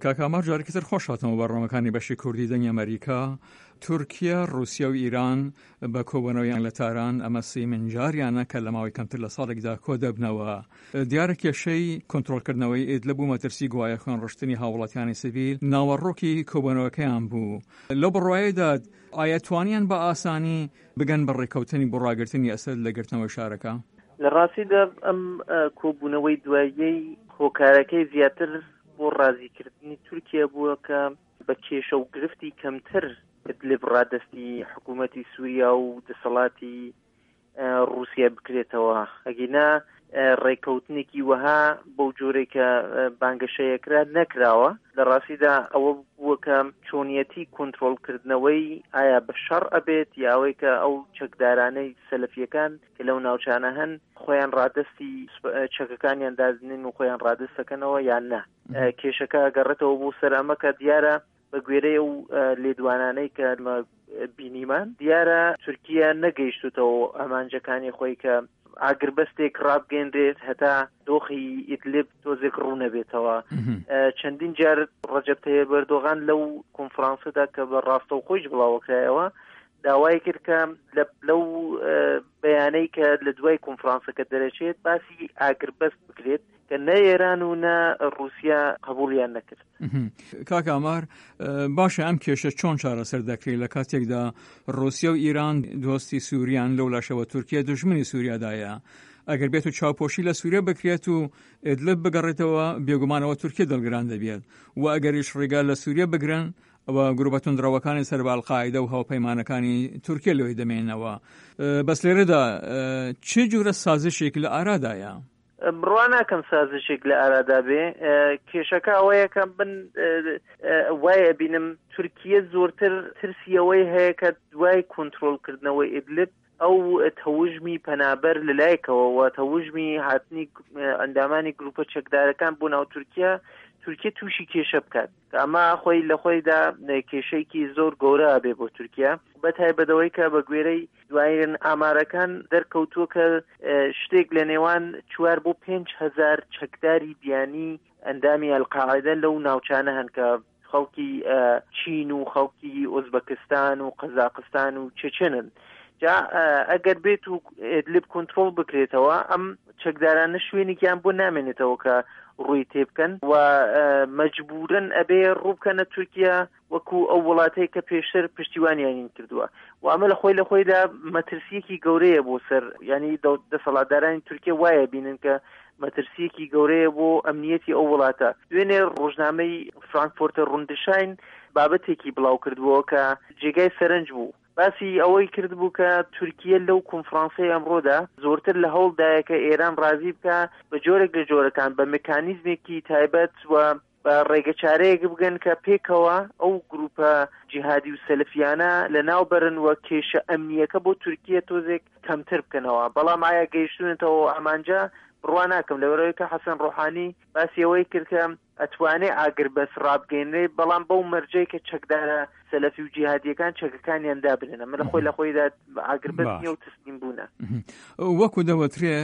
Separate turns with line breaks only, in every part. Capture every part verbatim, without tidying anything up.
کاک ئامار، جارێکی تر خۆش هاتنەوە بەرنامەکانی بەشی کوردی دەنگی ئەمەریکا. تورکیا، ڕوسیا و ئیران بە کۆبوونەوەیان لە تاران، ئەمە سێیەمین جاریانە کە لە ماوەی کەمتر لە ساڵێکدا کۆ دەبنەوە. دیارە کێشەی کۆنترۆڵکردنەوەی ئیدلب و مەترسی گوایە خوێنڕشتنی هاووڵاتیانی سڤیل ناوەڕۆکی کۆبوونەوەکەیان بوو. لەو بڕوایەدا ئایا توانیان بە ئاسانی بگەن بە ڕێککەوتنی بۆ ڕاگرتنی ئەسەد لە گرتنەوەی شارەکە؟
لە ڕاستیدا ئەم کۆبوونەوەی دواییەی هۆکارەکەی زیاتر بۆ ڕازیکردنی تورکیا بووە کە بە کێشە و گرفتی کەمتر ئیدلب ڕادەستی حکوومەتی سووریا و دەسەڵاتی ڕووسیا بکرێتەوە. ئەگینا ڕێککەوتنێکی وەها بەو جۆرەی کە بانگەشەیەکرا نەکراوە. لە ڕاستیدا ئەوە بووە کە چۆنیەتی کۆنترۆڵکردنەوەی ئایا بە شەڕ ئەبێت یا ئەوەی کە ئەو چەکدارانەی سەلەفیەکان کە لەو ناوچانە هەن خۆیان ڕادەستی چەکەکانیان دادنین و خۆیان ڕادەستەکەنەوە یان نا. کێشەکە گەڕێتەوە بۆ سەر ئەمە کە دیارە بە گوێرەی ئەو لێدوانانەی کە بینیمان دیارە تورکیا نەگەیشتوتەوە ئامانجەکانی خۆی کە ئاگربەستێک ڕابگەنرێت هەتا دۆخی ئیدلب تۆزێک ڕوو نەبێتەوە. چەندین جار ڕەجەب تەیب ئەردۆغان لەو کۆنفرانسەدا کە بە ڕاستەوخۆیش بڵاوەکرایەوە داوای کرد کە لەو بەیانەی کە لە دوای کۆنفرانسەکە دەرەچێت باسی ئاگربەست بکرێت کە نە ئێران و نە ڕووسیا قبولیان نەکرد.
کاک ئامار، باشە ئەم کێشە چۆن چارەسەر دەکرێت لە کاتێکدا ڕووسیا و ئیران دۆستی سووریان، لەو لاشەوە تورکیا دژمنی سووریادایە؟ ئەگەر بێت و چاوپۆشی لە سووریا بکرێت و ئیدلب بگەڕێتەوە، بێگومانەوە تورکیا دڵگران دەبێت و ئەگەریش ڕێگا لە سووریا بگرن، ئەوە گروپە توندڕەوەکانی سەر بە ئەلقاعیدە و هاوپەیمانەکانی تورکیا لەوێ دەمێنەوە. بەس لێرەدا چه جورە سازشێک لە ئارادایە؟
بڕوا ناکەم سازشێک لە ئارادا بێ. کێشەکە ئەوەیە کە من وای ئەبینم تورکیە زۆرتر ترسی ئەوەی هەیە کە دوای کۆنترۆڵکردنەوەی ئیدلب ئەو تەوژمی پەنابەر لەلایەکەوە و تەوژمی هاتنی ئەندامانی گروپە چەکدارەکان بۆ ناو تورکیا، تورکیا تووشی کێشە بکات. ئەمە خۆی لە خۆیدا کێشەیەکی زۆر گەورە بێ بۆ تورکیا، بە تایبەتەوەی کە بە گوێرەی دوایین ئامارەکان دەرکەوتووە کە شتێک لە نێوان چوار بۆ پێنج هەزار چەکداری بیانی ئەندامی ئەلقاعدە لەو ناوچانە هەن کە خەڵکی چین و خەڵکی ئۆزبەکستان و قەزاقستان و چێچێنن. جا ئەگەر بێت و ئیدلب کۆنترۆڵ بکرێتەوە، ئەم چەکدارانە شوێنێکیان بۆ نامێنێتەوە کە ڕووی تێبکەن و مەجبورن ئەبێ ڕووبکەنە تورکیا وەکو ئەو وڵاتەی کە پێشتر پشتیوانیان کردووە. و ئەمە لە خۆی لە خۆیدا مەترسیەکی گەورەیە بۆ سەر، ینی دەسەڵاتدارانی تورکیا وایە بینن کە مەترسیەکی گەورەیە بۆ ئەمنیەتی ئەو وڵاتە. دوێنێ ڕۆژنامەی فرانکفۆرتەر ڕوندشاین بابەتێکی بڵاو کردبووە کە جێگای سەرنج بوو، باسی ئەوەی کردبوو کە تورکیە لەو کۆنفرانسەی ئەمڕۆدا زۆرتر لە هەوڵدایە کە ئێران ڕازی بکە بە جۆرێک لە جۆرەکان بە مکانیزمێکی تایبەت و بە ڕێگەچارەیەک بگەن کە پێکەوە ئەو گروپە جیهادی و سەلەفیانە لە ناو بەرن و کێشە ئەمنیەکە بۆ تورکیە تۆزێک کەمتر بکەنەوە. بەڵام ئایا گەیشتونەتەوە ئامانجە؟ بڕوا ناکەم. لەبەرئەوەی کە حەسەن ڕۆحانی باسی ئەوەی کرد کە ئەتوانێ ئاگربەست ڕابگەینرێ، بەڵام بەو مەرجەی کە چەکدارە سەلەفی و جیهادیەکان چەکەکانیان دابنێن. ئەمە لە خۆی لە خۆیدا ئاگربەست نییە و تەسلیم بوونە.
وەکو دەوترێ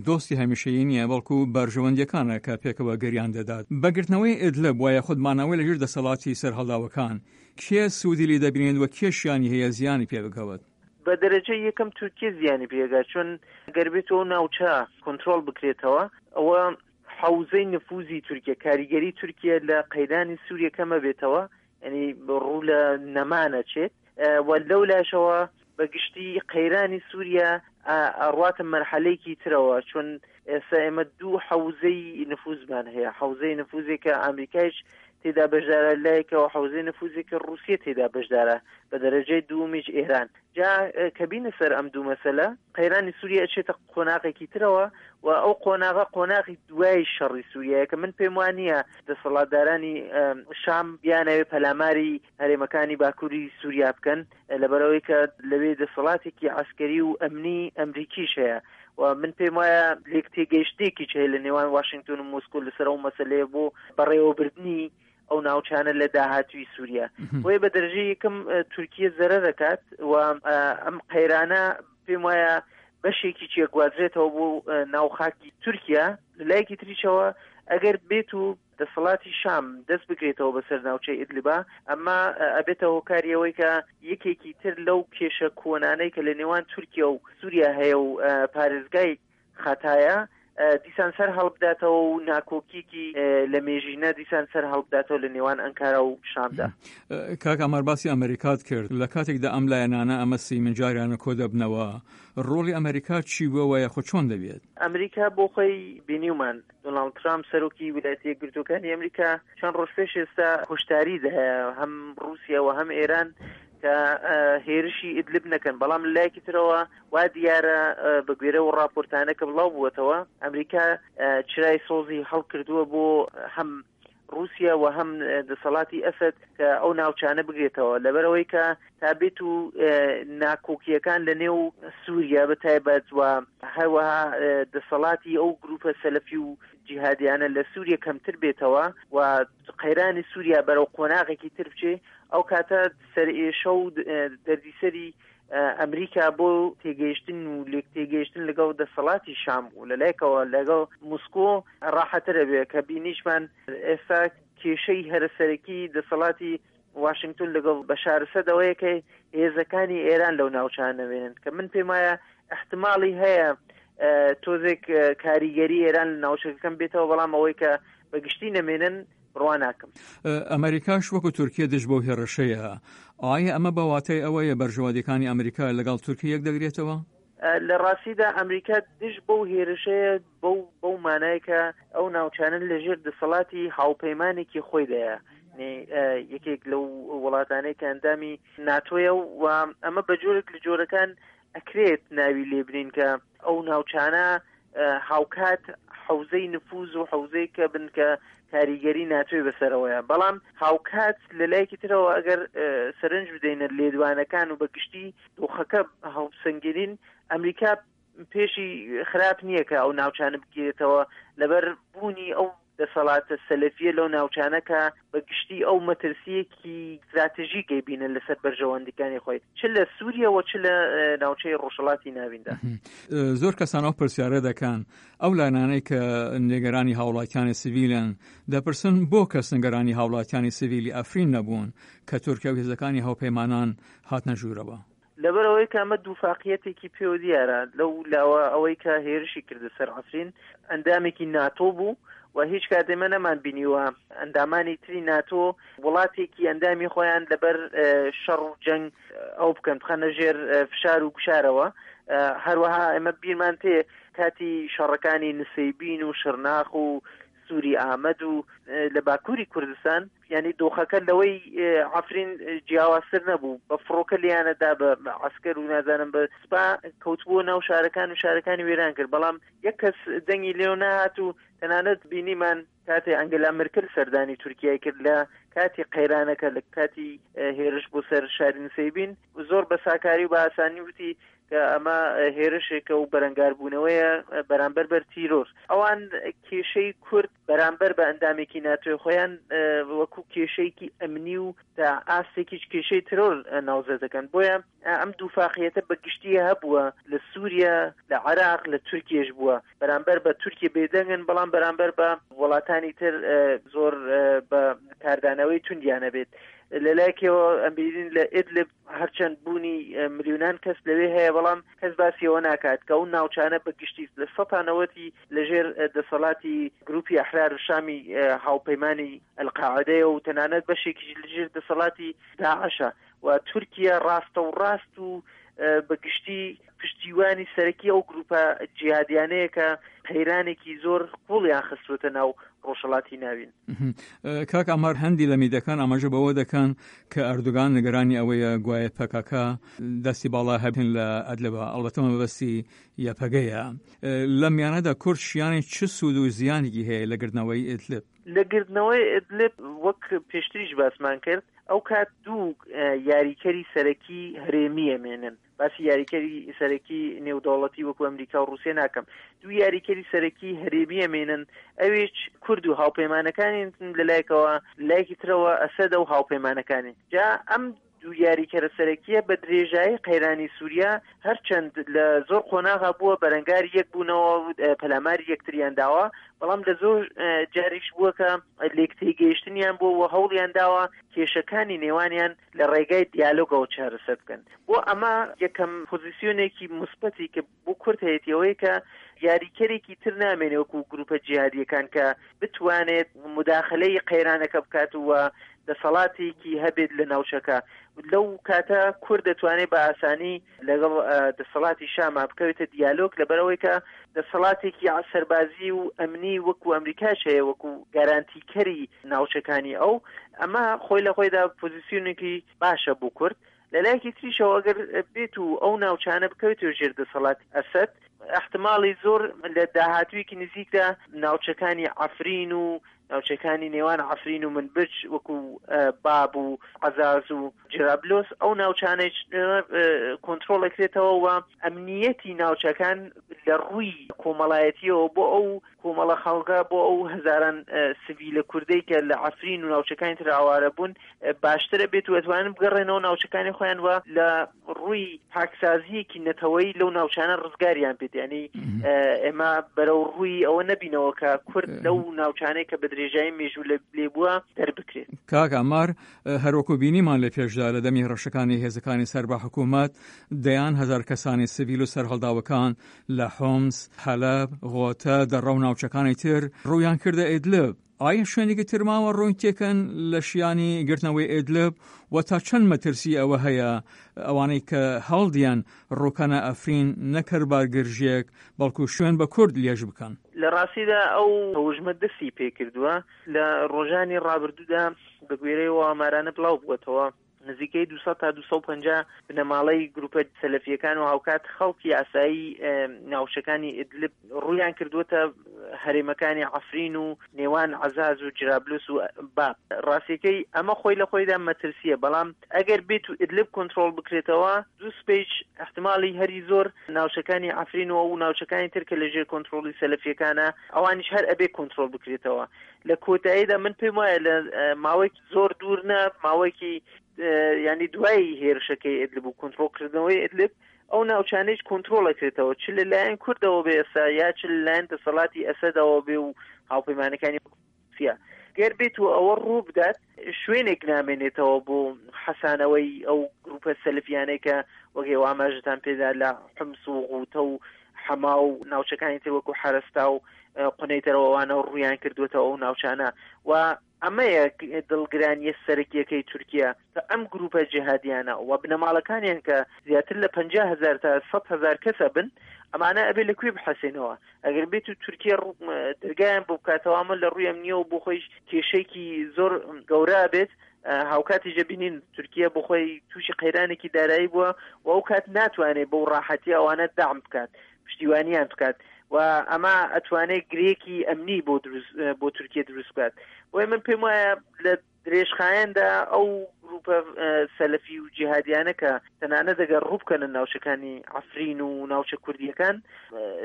دۆستی هەمیشەیی نییە، بەڵکو بەرژەوەندیەکانە کە پێکەوە گەریان دەدات. بەگرتنەوەی ئیدلب وایە خودمانەوەی لەژێر دەسەڵاتی سەرهەڵداوەکان، کێ سوودی لێ دەبینێت و کێ شیانی هەیە زیانی پێ بکەوت؟
بە دەرەجە یەکەم تورکیە زیانی پێگات، چون ئەگەر بێت ئەو ناوچە کۆنترۆڵ بکرێتەوە، ئەوە حوزەی نفوزی تورکیا، کاریگەری تورکیا لە قەیرانی سووریە کەمە بێتەوە، ینی ڕوو لە نەمانە چێت. و لەو لاشەوە بە گشتی قەیرانی سووریا ئەڕواتە مەرحەلەیەکی ترەوە، چون ئێستا ئێمە دوو حوزەی نفوزمان هەیە، حوزەی نفوزێک کە ئەمریکایش تێدا بەشدارە لایەکەوە، حوزەی نفوزێک کە ڕووسیە تێدا بەشدارە بە دەرەجەی دوومیش ئێران. جا کە بینە سەر ئەم دوو مەسەلە، قەیرانی سووریا ئەچێتە قۆناغێکی ترەوە و ئەو قۆناغە قۆناغی دوای شەڕی سووریایە کە من پێم وانییە دەسەڵاتدارانی شام بیانەوێ پەلاماری هەرێمەکانی باکووری سووریا بکەن، لەبەرەوەی کە لەوێ دەسەڵاتێکی عەسکەری و ئەمنی ئەمریکیش هەیە. و من پێم وایە لێک تێگەیشتنێکیش هەیە لە نێوان واشنگتۆن و مۆسکۆ لەسەر ئەو مەسەلەیە بۆ بەڕێوەبردنی ئەو ناوچانە لە داهاتووی سووریا. بۆیە بە دەرەجەی یەکەم تورکیە زەرەر دەکات و ئەم قەیرانە پێم وایە بەشێکی چیەگوازرێتەوە بۆ ناو خاکی تورکیا. لە لایەکی تریشەوە ئەگەر بێت و دەسەڵاتی شام دەست بگرێتەوە بەسەر ناوچەی ئیدلبا، ئەمە ئەبێتە هۆکاری ئەوەی کە یەکێکی تر لەو کێشە کۆنانەی کە لە نێوان تورکیا و سووریا هەیە و پارێزگای خاتایە دیسان سەر هەڵبداتەوە و ناکۆکیکی لە مێژینە دیسان سەر هەڵبداتەوە لە نێوان ئەنکارا و شامدا.
کاک ئامار، باسی ئەمریکات کرد، لە کاتێکدا ئەم لایەنانە ئەمە سی جاریانە کۆ دەبنەوە، ڕۆڵی ئەمریکا چی بووە یاخۆ چۆن دەبێت؟
ئەمریکا بۆ خۆی بینیومان دۆناڵد ترامپ سەرۆکی ویلایەتە یەکگرتووەکانی ئەمریکا چەند ڕۆژ پێش ئێستا هۆشداری دایە هەم ڕووسیا و هەم ئێران کە هێرشی ئیدلب نەکەن، بەڵام لەلایەکی ترەوە وا دیارە بە گوێرە و راپۆرتانە کە بڵاو بووەتەوە ئەمریکا چرای سۆزی هەڵکردووە بۆ هەم رووسیا و هەم دەسەڵاتی ئەسەد کە ئەو ناوچانە بگرێتەوە، لەبەرەوەی کە تا بێت و ناکۆکیەکان لە نێو سووریا بە تایبەت و هەروەها دەسەڵاتی ئەو گروپە سەلەفی و جیهادیانە لە سووریا کەمتر بێتەوە و قەیرانی سووریا بەرەو قۆناغێکی تر بچێ، ئەو کاتە سەرئێشە و دەردیسەری ئەمریکا بۆ تێگەیشتن و لێک تێگەیشتن لەگەڵ دەسەڵاتی شام و لەلایکەوە لەگەڵ مسکۆ ڕاحەترە بێ کە بینیشمان ئێستا کێشەی هەرەسەرەکی دەسەڵاتی واشنگتۆن لەگەڵ بەشار ئەسەد ئەوەیە کە هێزەکانی ئێران لەو ناوچانە نەوێنن، کە من پێم وایە احتماڵی هەیە تۆزێک کاریگەری ئێران لە ناوچەکەکەم بێتەوە، بەڵام ئەوەی کە بەگشتی نەمێنن بڕوا ناکەم.
ئەمریکاش وەکو تورکیا دژ بەو هێڕشەیە، ئایا ئەمە بە واتای ئەوەیە بەرژەوەندیەکانی ئەمریکا لەگەڵ تورکیا یەک دەگرێتەوە؟
لە ڕاستیدا ئەمریکا دژ بەو هێرشەیە بەو بەو مانای کە ئەو ناوچانە لەژێر دەسەڵاتی هاوپەیمانێکی خۆیدایە، یەکێک لەو وڵاتانەی کە ئەندامی ناتۆیە و ئەمە بە جۆرێک لە جۆرەکان ئەکرێت ناوی لێبنین کە ئەو ناوچانە هاوکات حوزەی نفوز و حوزەی کە بن کە کاریگەری ناتۆی بەسەرەوەیە، بەڵام هاوکات لە لایەکی ترەوە ئەگەر سەرنج بدەینە لێدوانەکان و بەگشتی دۆخەکە هەڵسەنگێنین، ئەمریکا پێشی خراپ نییە کە ئەو ناوچانە بگیرێتەوە لەبەر بوونی ئەو دەسەڵاتە سەلەفیە لەو ناوچانە کە بەگشتی ئەو مەترسیەکی استراتژی گەیبینن لەسەر بەرژەوەندیەکانی خۆی چ لە سووریا و چ لە ناوچەی ڕۆژهەڵاتی ناویندا.
زۆر کەسان ئەو پرسیارە دەکەن، ئەو لایەنانەی کە نگەرانی هاوڵاتیانی سیڤیلن دەپرسن بۆ کەس نگەرانی هاوڵاتیانی سیڤیلی ئەفرین نەبوون کە تورکیا و هێزەکانی هاوپەیمانان هاتنە ژوورەوە؟
لەبەرەوەی کە ئەمە دووفاقیەتێکی پێوە دیارە لەو لاوە ئەوەی کە هێرشی کردە سەر عەفرین ئەندامێکی ناتۆ بوو و هیچ کات ئێمە نەمان بینیوە ئەندامانی تری ناتۆ وڵاتێکی ئەندامی خۆیان لەبەر شەڕ و جەنگ ئەو بکەن بخەنە ژێر فشار و گوشارەوە. هەروەها ئێمە بیرمان تێ کاتی شەڕەکانی نسەیبین و شرناخ و سووری ئامەد و لە باکووری کوردستان، یعنی دۆخەکە لەوەی عەفرین جیاوازتر نەبوو، بە فڕۆکە لیانەدا بە عەسکەر و نازانم بە سوپا کەوتبووە ناو شارەکان و شارەکانی وێران کرد، بەڵام یەک کەس دەنگی لێو نەهات و تەنانەت بینیمان کاتێ ئەنگەلا مرکل سەردانی تورکیای کرد لە کاتی قەیرانەکە، لە کاتی هێرش بۆ سەر شاری نسەیبین، زۆر بە ساکاری و بە ئاسانی وتی کە ئەمە هێرشێکە و بەرەنگاربوونەوەیە بەرامبەر بەر تیرۆر. ئەوان کێشەی کورد بەرامبەر بە ئەندامێکی ناتۆی خۆیان وەکو کێشەیەکی ئەمنی و تا ئاستێکیش کێشەی ترۆر ناوزە دەکەن. بۆیە ئەم دووفاقیەتە بە گشتی هەبووە لە سووریا، لە عێراق، لە تورکیەش بووە. بەرامبەر بە تورکیا بێدەنگن، بەڵام بەرامبەر بە وڵاتانی تر زۆر بە کاردانەوەی توندیانە بێت. لەلایەکەوە ئەم بینین لە ئیدلب هەرچەند بوونی ملیۆنان کەس لەوێ هەیە، بەڵام کەس باسیەوە ناکات کە ئەو ناوچانە بە گشتی لە سەتا نەوەتی لەژێر دەسەڵاتی گروپی ئەحرار شامی هاوپەیمانی ئەلقاعدەیە و تەنانەت بەشێکیش لەژێر دەسەڵاتی داعشە و تورکیا ڕاستە و ڕاست و بە گشتی پشتیوانی سەرەکی ئەو گروپە جیهادیانەیە کە قەیرانێکی زۆر قوڵیان خستووەتە ناو ڕۆژهەڵاتی ناوین.
کاک ئامار، هەندی لە میدیاکان ئاماژە بەوە دەکەن کە ئەردۆگان نگەرانی ئەوەیە گوایە پەکەکە دەستی باڵا هەبن لە ئەدلبە، ئەڵبەتە مەبەستی یەپەگەیە. لە میانەدا کورد شیانی چ سوود و زیانێکی هەیە لە گردنەوەی ئیدلب؟
لە گردنەوەی ئیدلب وەک پێشتریش باسمان کرد، ئەو کات دوو یاریکەری سەرەکی هەرێمیە مێنن. باسی یاریکەری سەرەکی نێودەوڵەتی وەکو ئەمریکا و ڕووسیا ناکەم، دوو یاریکەری سەرەکی هەرێمیە مێنن، ئەویش کورد و هاوپەیمانەکانی لەلایەکەوە، لایەکی ترەوە ئەسەدە و هاوپەیمانەکانی. جا ئەم دوو یاریکەرە سەرەکیە بە درێژایی قەیرانی سووریا هەرچەند لە زۆر قۆناغا بووە بەرەنگاری یەک بوونەوە، پەلاماری یەکتریان داوە، بەڵام لە زۆر جاریش بووە کە لێکتێگەیشتنیان بووە و هەوڵیان داوە کێشەکانی نێوانیان لە ڕێگای دیالۆگەوە چارەسەر بکەن. بۆ ئەمە یەکەم پۆزیسیۆنێکی موسبەتی کە بۆ کورد هەیەتی ئەوەیە کە یاریکەرێکی تر نامێنێ وەکو گروپە جیهادیەکان کە بتوانێت مداخلەی قەیرانەکە بکات و دەسەڵاتێکی هەبێت لە ناوچەکە. لەو کاتە کورد دەتوانێت بە ئاسانی لەگەڵ دەسەڵاتی شاما بکەوێتە دیالۆگ، لەبەرەوەی کە دەسەڵاتێکی سەربازی و ئەمنی وەکو ئەمریکاش هەیە وەکو گارانتیکەری ناوچەکانی ئەو. ئەمە خۆی لە خۆیدا پۆزیسیۆنێکی باشە بۆ کورد. لە لایەکی تریشەوە ئەگەر بێت و ئەو ناوچانە بکەوێتەوە ژێر دەسەڵات ئەسەد، احتمالی زۆر لە داهاتوویەکی نزیکدا ناوچەکانی عەفرین و ناوچەکانی نێوان عەفرین و منبج وەکو باب و عەزاز و جرابلۆس ئەو ناوچانەی کۆنترۆڵ ئەکرێتەوە و ئەمنیەتی ناوچەکان لە ڕووی کۆمەڵایەتیەوە بۆ ئەو کۆمەڵە خەڵکە، بۆ ئەو هەزاران سڤیلە کوردەی کە لە عەفرین و ناوچەکانی تر ئاوارە بوون باشترە بێت و ئەتوانن بگەڕێنەوە ناوچەکانی خۆیان و لە ڕووی پاکسازیەکی نەتەوەیی لەو ناوچانە ڕزگاریان بێت. یعنی ئێمە بەرەو ڕووی ئەوە نەبینەوە کە کورد لەو ناوچانەی کە بە درێژایی مێژوو لێ بووە دەربکرێت.
کاک عەمار، هەروەکو بینیمان لە پێشدا لە دەمی هەڕەشەکانی هێزەکانی سەر بە حکوومەت دەیان هەزار کەسانی سڤیل و سەرهەڵداوەکان لە حومس، حەلەب، غۆتە، دەڕە و ناوچەکانی تر ڕوویان کردە ئیدلب. ئایا شوێنێکی تر ماوە ڕووین تێکەن لە شیانی گرتنەوەی ئیدلب و تا چەند مەترسی ئەوە هەیە ئەوانەی کە هەڵدیان ڕووکەنە ئەفرین نەکەر بارگرژێک بەڵکو شوێن بە کورد لێژ بکەن؟
لە ڕاستیدا ئەو هەوژمە دەستی پێکردووە لە ڕۆژانی ڕابردوودا بە گوێرەی ئەو ئامارانە بڵاو بووەتەوە نزیکەی دوو سەد تا دوو سەد و پەنجا بنەماڵەی گروپە سەلەفیەکان و هاوکات خەڵکی ئاسایی ناوچەکانی ئیدلب ڕوویان کردووەتە هەرێمەکانی عەفرین و نێوان عەزاز و جرابلوس و باب. ڕاستیەکەی ئەمە خۆی لە خۆیدا مەترسیە، بەڵام ئەگەر بێت و ئیدلب کۆنترۆڵ بکرێتەوە دوو سپیچ احتمالی هەری زۆر ناوچەکانی عەفرین و ئەو ناوچەکانی تر کە لەژێر کۆنترۆڵی سەلەفیەکانە ئەوانیش هەر ئەبێ کۆنترۆڵ بکرێتەوە. لە کۆتاییدا من پێم وایە لە ماوەیەکی زۆر دوور نا، ماوەیەکی ینی دوای هێرشەکەی ئیدلب و کۆنترۆڵکردنەوەی ئیدلب ئەو ناوچانەیش کۆنترۆڵ ئەکرێتەوە، چ لەلایەن کوردەوە بێ ئێستا یا چ لەلایەن دەسەڵاتی ئەسەدەوە بێ و هاوپەیمانەکانی رووسیا. گەر بێت و ئەوە ڕوو بدات شوێنێک نامێنێتەوە بۆ حەسانەوەی ئەو گروپە سەلفیانەی کە وەک ئێوە ئاماژەتان پێدا لە حمس و غوتە و حەما و ناوچەکانی تر وەکو حەرەستا و قونەیتەرەوە ڕوویان کردوێتەوە ئەو ناوچانە. و ئەمەیە دڵگرانیە سەرەکیەکەی تورکیا کە ئەم گروپە جیهادیانە و بنەماڵەکانیان کە زیاتر لە پەنجا هەزار تا سەد هەزار کەسە بن، ئەمانە ئەبێ لە کوێ بحەسێنەوە؟ ئەگەر بێت و تورکیا دەرگایان بۆ بکاتەوە ئەمە لە ڕووی ئەمنیەوە بۆ خۆیش کێشەیەکی زۆر گەورە بێت. هاوکاتیش دەبینین تورکیا بۆ خۆی تووشی قەیرانێکی دارایی بووە و ئەو کات ناتوانێت بەو ڕاحەتی ئەوانە دەعم بکات، پشتیوانیان بکات و ئەمە ئەتوانێت گرێکی ئەمنی بۆ دروست بۆ تورکیا دروست بکات. بۆیە من پێم وایە لە درێژخایەندا ئەو گروپە سەلەفی و جیهادیانە کە تەنانەت ئەگەر ڕوو بکەنە ناوچەکانی عەفرین و ناوچە کوردیەکان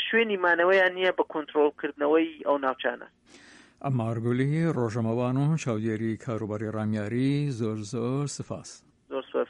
شوێنی مانەوەیان نییە بە کۆنترۆڵکردنەوەی ئەو ناوچانە.
عەمار گولی، ڕۆژەمەوان و چاودێری کاروباری ڕامیاری، زۆر زۆر سپاس.
زۆر سپاس.